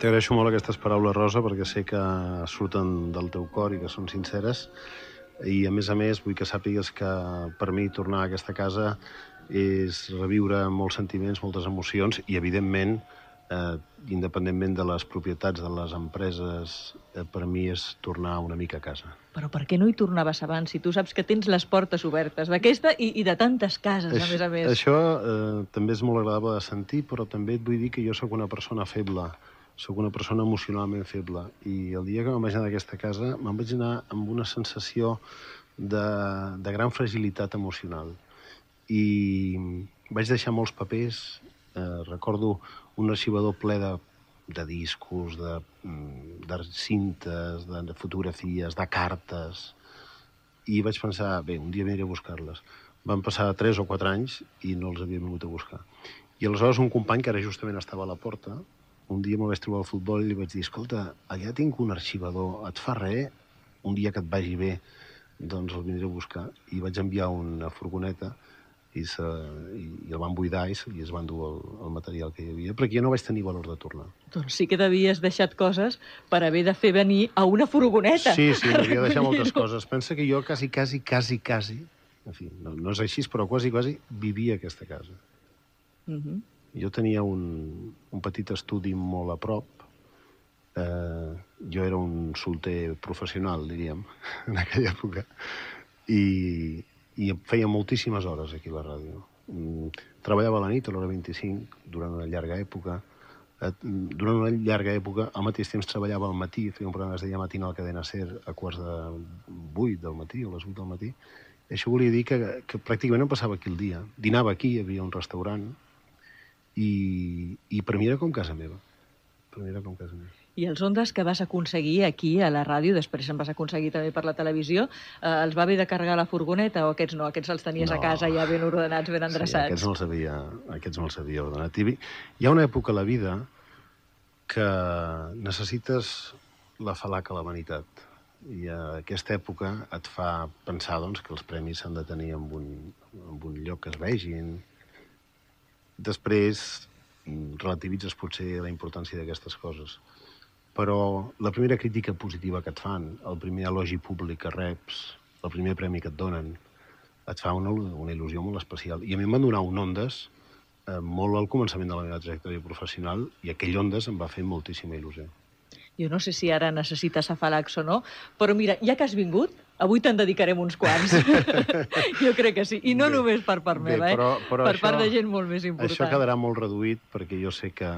T'agraeixo molt aquestes paraules, Rosa, perquè sé que surten del teu cor i que són sinceres. I, a més, vull que sàpigues que per mi tornar a aquesta casa és reviure molts sentiments, moltes emocions i, evidentment, independentment de les propietats de les empreses, per mi és tornar una mica a casa. Però per què no hi tornaves abans, si tu saps que tens les portes obertes d'aquesta i de tantes cases, a més? Això també és molt agradable de sentir, però també et vull dir que jo sóc una persona feble, sóc una persona emocionalment feble, i el dia que me'n vaig anar d'aquesta casa me'n vaig anar amb una sensació de gran fragilitat emocional. I vaig deixar molts papers, recordo un arxivador ple de discos, de cintes, de fotografies, de cartes, i vaig pensar, bé, un dia aniré a buscar-les. Van passar 3 o 4 anys i no els havia vingut a buscar. I aleshores un company, que ara justament estava a la porta, un dia me'l vaig trobar al futbol i li vaig dir, escolta, allà tinc un arxivador, et fa res? Un dia que et vagi bé, doncs el vindré a buscar. I vaig enviar una furgoneta i el van buidar i es van dur el material que hi havia, perquè jo no vaig tenir valor de tornar. Doncs sí que t'havies deixat coses per haver de fer venir a una furgoneta. Sí, m'havia deixat moltes coses. Pensa que jo quasi, en fi, no és així, però quasi, vivia a aquesta casa. Jo tenia un petit estudi molt a prop. Jo era un solter professional, diríem, en aquella època, i feia moltíssimes hores aquí a la ràdio. Treballava a la nit, a l'hora 25, durant una llarga època. Al mateix temps treballava al matí, feia un programa que es deia Matinal Cadena Ser a 7:45 del matí, o a les 8 del matí. I això volia dir que pràcticament em passava aquí el dia. Dinava aquí, hi havia un restaurant, i per mi era com casa meva. I els Ondas que vas aconseguir aquí a la ràdio, després en vas aconseguir també per la televisió, els va haver de carregar la furgoneta o aquests no? Aquests els tenies a casa ja ben ordenats, ben endreçats? Sí, aquests me'ls havia ordenat. Hi ha una època a la vida que necessites la falaca a la vanitat. I aquesta època et fa pensar que els premis s'han de tenir en un lloc que es vegin. Després relativitzes potser la importància d'aquestes coses. Però la primera crítica positiva que et fan, el primer elogi públic que reps, el primer premi que et donen, et fa una il·lusió molt especial. I a mi em van donar un Ondas molt al començament de la meva trajectòria professional, i aquell Ondas em va fer moltíssima il·lusió. Jo no sé si ara necessites afalacs o no, però mira, ja que has vingut, avui te'n dedicarem uns quants. Jo crec que sí. I no només per part meva, per part de gent molt més important. Això quedarà molt reduït, perquè jo sé que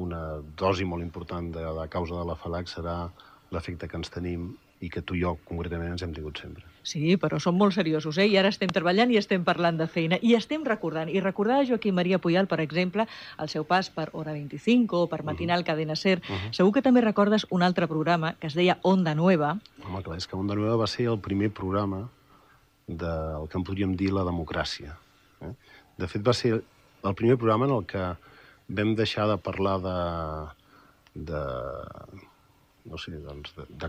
una dosi molt important de la causa de l'afalac serà l'efecte que ens tenim i que tu i jo, concretament, ens hem tingut sempre. Sí, però som molt seriosos, I ara estem treballant i estem parlant de feina. I estem recordant. I recordar a Joaquim Maria Puyal, per exemple, el seu pas per Hora 25 o per Matinal Cadena Ser. Segur que també recordes un altre programa que es deia Onda Nueva. Home, clar, és que Onda Nueva va ser el primer programa del que en podríem dir la democràcia. De fet, va ser el primer programa en el que vam deixar de parlar de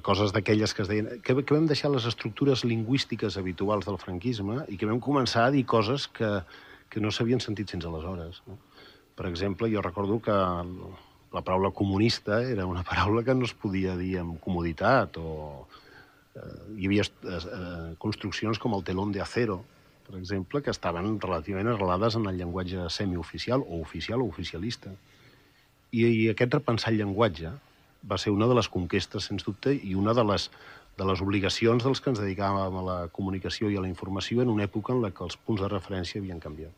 coses d'aquelles que es deien... Que vam deixar les estructures lingüístiques habituals del franquisme i que vam començar a dir coses que no s'havien sentit fins aleshores. Per exemple, jo recordo que la paraula comunista era una paraula que no es podia dir amb comoditat, o hi havia construccions com el telón de acero, per exemple, que estaven relativament arrelades en el llenguatge semioficial o oficial o oficialista. I aquest repensar el llenguatge va ser una de les conquestes, sens dubte, i una de les obligacions dels que ens dedicàvem a la comunicació i a la informació en una època en la que els punts de referència havien canviat.